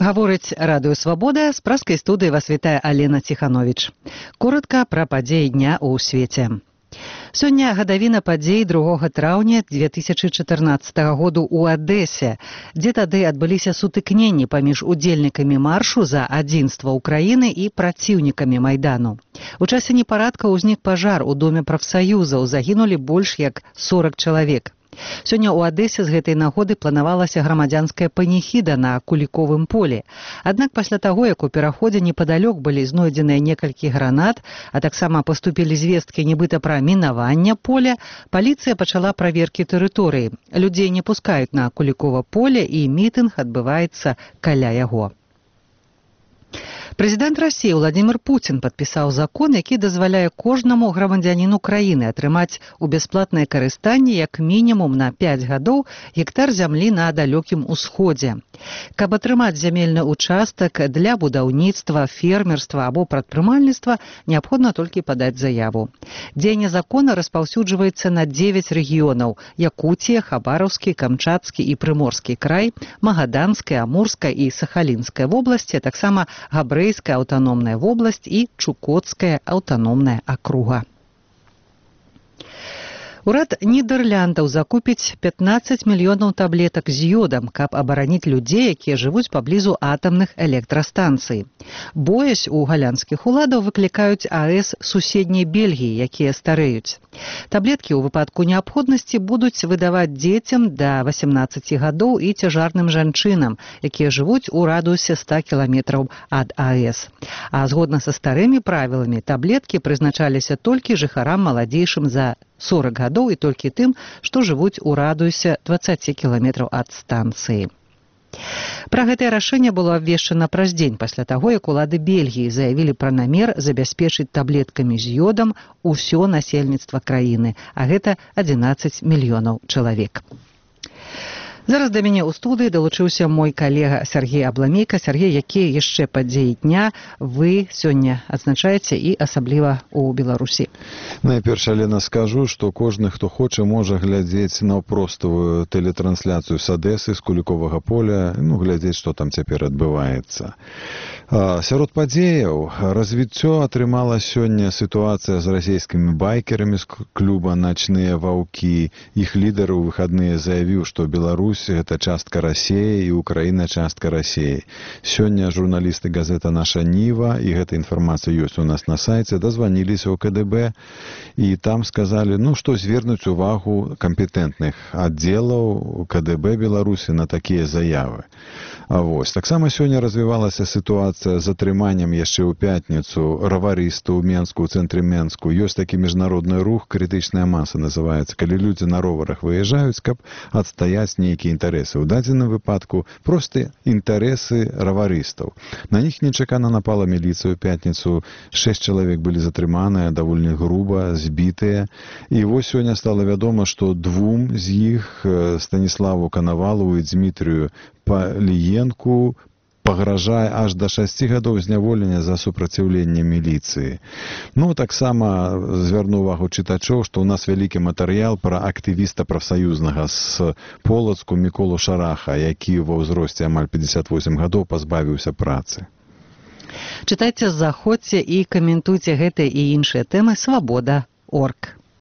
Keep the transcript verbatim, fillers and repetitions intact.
Гаворыць радыё «Свабода», з праскай студыі вас вітае Алена Ціхановіч. Коратка пра падзеі дня ў свеце. Сёння гадавіна падзей другога траўня дзве тысячы чатырнаццатага году ў Адэсе, дзе тады адбыліся сутыкненні паміж удзельнікамі маршу за адзінства ўкраіны і праціўнікамі Майдану. У часе непарадка ўзнік пажар у доме прафсаюзаў, загінулі больш як сорак чалавек. Сёння ў Адэсе з гэтай нагоды планавалася грамадзянская паніхіда на Куліковым полі. Аднак пасля таго, як у пераходзе непадалёк былі знойдзеныя некалькі гранат, а таксама паступілі звесткі нібыта пра мінаванне поля, паліцыя пачала праверкі тэрыторыі. Людзей не пускаюць на Кулікова поле і мітынг адбываецца каля яго. Прэзідэнт Расіі Владзімір Пуцін падпісаў закон, які дазваляе кожнаму грамадзяніну краіны атрымаць у бясплатнае карыстанне як мінімум на пяць гадоў гектар зямлі на далёкім усходзе. Каб атрымаць зямельны участак для будаўніцтва, фермерства або прадпрымальніцтва, неабходна толькі падаць заяву. Дзеянне закона распаўсюджваецца на дзевяць рэгіёнаў: Якуція, Хабараўскі, Камчатскі і Прыморскі край, Магаданская, Амурская і Сахалінская вобласці, а таксама Габрэйская аўтаномная вобласць і Чукоцкая аўтаномная акруга. Урад Нідэрляндаў закупіць пятнаццаць мільёнаў таблетак з ёдам, каб абараніць людзей, якія жывуць паблізу атамных электрастанцый. Боязь у галандскіх уладаў выклікаюць АЭС суседняй Бельгіі, якія старэюць. Таблеткі ў выпадку неабходнасці будуць выдаваць дзецям да васямнаццаці гадоў і цяжарным жанчынам, якія жывуць у радыусе ста кіламетраў ад АЭС. А згодна са старымі правіламі, таблеткі прызначаліся толькі жыхарам маладзейшым за сорак гадоў і толькі тым, што жывуць у радыусе дваццаці кіламетраў ад станцыі. Пра гэтае рашэнне было абвешчана праз дзень пасля таго, як улады Бельгіі заявілі пра намер забяспечыць таблеткамі з ёдам усё насельніцтва краіны, а гэта адзінаццаць мільёнаў чалавек. Зараз да мяне ў студыі далучыўся мой калега Сергей Абламейка. Сергей, якія яшчэ падзеі дня вы сёння адзначаеце і асабліва ў Беларусі? Найперш, Алена, скажу, што кожны, хто хоча, можа глядзець наўпроставую тэлетрансляцыю з Адэсы, з Куліковага поля, ну, глядзець, што там цяпер адбываецца. Сярод падзеяў развіццё атрымала сёння сітуацыя з расійскімі байкерамі з клуба «Начныя ваўкі». Іх лідар у выхадныя заявіў, што Беларусь гэта частка Расіі і Украіна частка Расіі. Сёння журналісты газета «Наша Ніва», і гэта інфармацыя ёсць у нас на сайце, дазваніліся ў КДБ і там сказалі, ну, што звернуць увагу кампетэнтных аддзелаў КДБ Беларусі на такія заявы. А вось, таксама сёння развівалася сітуацыя з атрыманнем яшчэ ў пятніцу раварыста ў Менску, ў цэнтры Менску. Ёсць такі міжнародны рух, крытычная маса называецца, калі людзі на роварах выязджаюць, каб адстаяць нейкія інтарэсы. У дадзеным выпадку проста інтарэсы раварыстаў. На них нечакана напала міліцыя ў пятніцу. Шэсць чалавек былі затрыманыя, даволі груба, збітыя. І вось сёння стала вядома, што двум з іх, Станіславу Канавалову і Дмітрію Паліенку, пагражае аж да шасці гадоў зняволення за супраціўленне міліцыі. Ну, таксама звярну увагу чытачоў, што ў нас вялікі матэрыял пра актывіста прафсаюзнага з Полацку Міколу Шараха, які ва ўзросце амаль пятьдесят восемь гадоў пазбавіўся працы. Чытайце, заходзьце і каментуйце гэтыя і іншыя тэмы свабода точка орг.